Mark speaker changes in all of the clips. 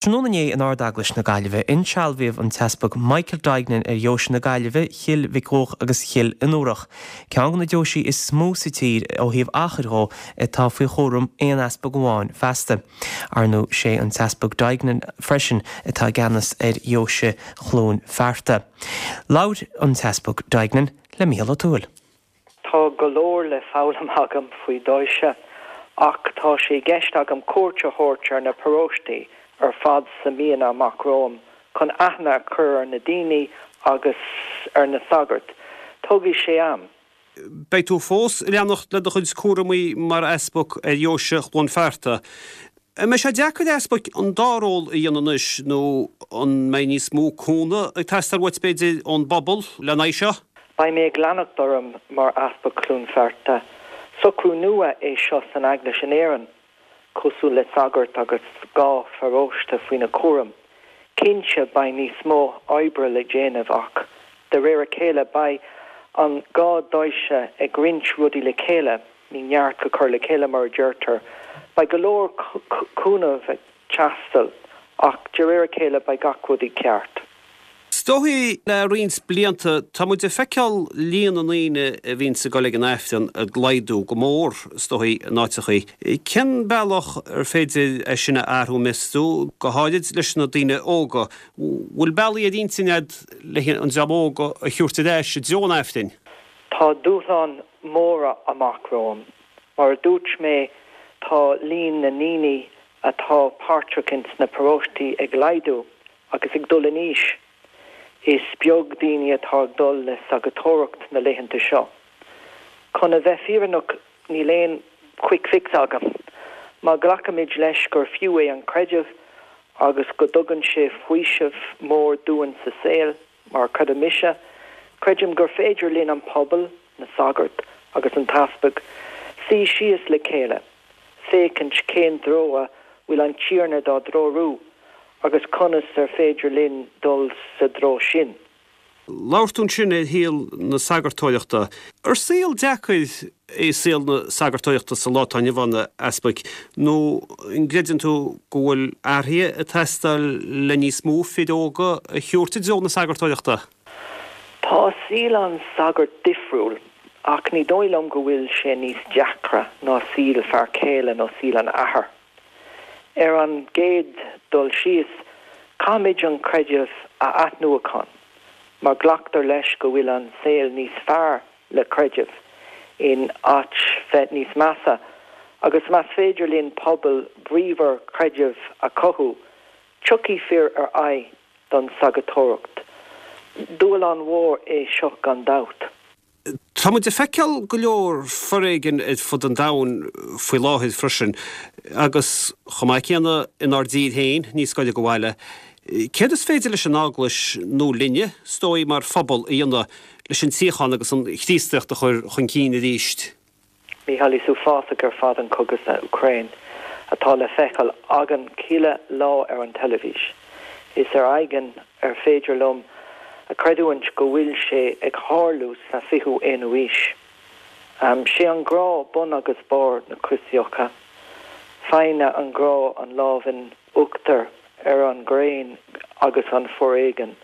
Speaker 1: Tráthnóna inné in Ard-Eaglais na Gaillimhe, insealbhaíodh an tEaspag Michael Duignan ar Dheoise na Gaillimhe, Chill Mhic Dhuach agus Chill Fhionnúrach, ceann de na deoisí is mó sa tír ó thaobh achair dhó atá faoi chúram aon easpag amháin feasta. Ar ndóigh, sé an tEaspag Duignan freisin atá i gceannas ar Dheoise Chluain Fearta. Labhair an tEaspag Duignan le Mícheál Ó Tuathail.
Speaker 2: Tá go leor le foghlaim agam faoi dheoise ach tá sé i gceist agam cuairt a thabhairt ar na paróistí ar fad sna míonna amach romham chun aithne a chur ar na daoine agus ar na sagairt. Tógfaidh sé am.
Speaker 3: Beidh tú fós ag leanacht le do chuid cúramaí mar easpag ar dheoise Chluain Fearta. An mbeidh sé deacair ar easpag an dá ról a dhéanamh anois nó an mbeidh níos mó cúnamh ag teastáil uait, b'fhéidir, ón bpobal lena aghaidh seo?
Speaker 2: Beidh mé ag leanacht orm mar Easpag Chluain Fearta. Socrú nua é seo san Eaglais in Éirinn, cosúil le sagart agus 2 pharóiste faoina chúram. Cinnte beidh níos mó oibre le déanamh ach de réir a chéile beidh an 2 deoise ag roinnt rudaí le chéile. Ní neart go cur le chéile mar a deirtear. Beidh go leor cúnamh ag teastáil ach de réir a chéile beidh gach rud i gceart.
Speaker 3: Is dóigh le roinnt blianta tá muid ag feiceáil líon na ndaoine a bhíonns ag dul ag an Aifreann ag laghdú go mór is dóigh in áiteachaí. Cén bealach ar féidir é sin a athrú meas tú, go háirid leis na daoine óga? Bhfuil bealaí ar intinn agat le an dream óg a thabhairt ar ais i dtreo an Aifrinn?
Speaker 2: Tá dúshlán móra amach romham. Mar a dúirt mé, tá líon na ndaoine atá páirteach ins na paróistí ag laghdú agus ag dul in aois. Is beag daoine atá ag dul le sagartóireacht na laethanta seo. Chun a bheith fírinneach, níl aon quick fix agam. Má ghlacaimid leis gur fiú é an creideamh agus go dtugann sé faoiseamh mór dúinn sa saol, Mar a chreidim mise, creidim gur féidir linn an pobal, na sagairt agus an t-easpag, suí síos le chéile, féachaint cén dtreo a bhfuil an Tiarna dár dtreorú agus conas ar féidir linn dul sa dtreo sin.
Speaker 3: Labhair tú ansin ar shaol na sagartóireachta. Ar saol deacair é saol na sagartóireachta sa lá atá inniu ann, a Easpaig, nó an gcreideann tú go bhfuil athruithe ag teastáil le níos mó fir óga a thabhairt i dtreo na sagartóireachta?
Speaker 2: Tá saol an tsagairt difriúil, ach ní dóigh liom go bhfuil sé níos deacra ná saol fear céile nó saol an athar. Ar an gcéad dul síos, caithfimid an creideamh a athnuachan, mar glactar leis go bhfuil an saol níos fearr le creideamh, in áit bheith níos measa, agus más féidir linn pobal bríomhar creidimh a chothú, tiocfaidh fir ar aghaidh don sagartóireacht. Dúshlán mhór é seo gan dabht.
Speaker 3: Tá muid ag feiceáil go leor foréigin ar fud an domhain faoi láthair freisin, agus chomh maith céanna inár dtír féin, níos gaire do bhaile. Céard is féidir leis an Eaglais, nó linne, is dóigh, mar phobal, a dhéanamh leis an tsíocháin agus an Chríostaíocht a chur chun cinn arís?
Speaker 2: Mícheál, is uafásach ar fad an cogadh san Úcráin atá le feiceáil againn chuile lá ar an teilifís. Is ar éigean ar féidir liom a chreidiúint go bhfuil sé ag tharlú sa 21ú aois. Sé an grá bun agus barr na Críostaíochta. Faigheann an grá an lámh in uachtar ar an ghréin agus an foréigean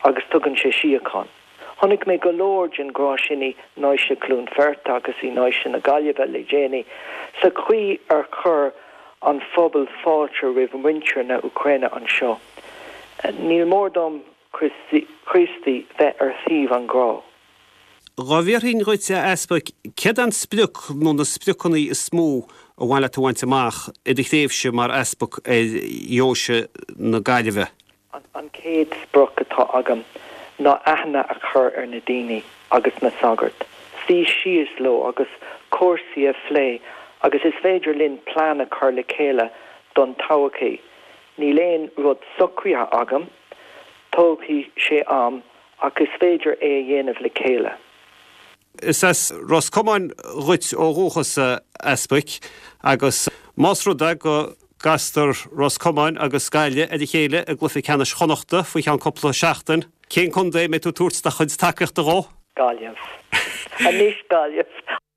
Speaker 2: agus tugann sé síocháin. Chonaic mé go leor den ghrá sin i nDeoise Chluain Fearta agus i nDeoise na Gaillimhe le déanaí, sa chaoi ar chuir an phobal fáilte roimh mhuintir na Úcráine anseo. Ní mór don Chríostaí bheith ar thaobh an ghrá.
Speaker 3: Dhá bhfiafraínn dhuit, a Easpaig, céard é an sprioc nó na spriocanna is mó a mhaith leat a bhaint amach i do thréimhse mar Easpag ar Dheoise na Gaillimhe?
Speaker 2: An chéad sprioc atá agam ná aithne a chur ar na daoine agus na sagairt, suí síos leo agus cúrsaí a phlé agus is féidir linn plean a chur le chéile don todhchaí. Níl aon rud socraithe agam, tógfaidh sé am ach is féidir é a dhéanamh le chéile.
Speaker 3: Is as Ros Comáin dhuit ó dhúchas, a Easpaig, agus más rud é go gcastar Ros Comáin agus Gaillimh ar a chéile i gcluiche ceannais Chonnachta faoi cheann cúpla seachtain, cén contae a mbeidh tú ag tabhairt do chuid tacaíochta dhó?
Speaker 2: Gaillimh. Anois Gaillimh.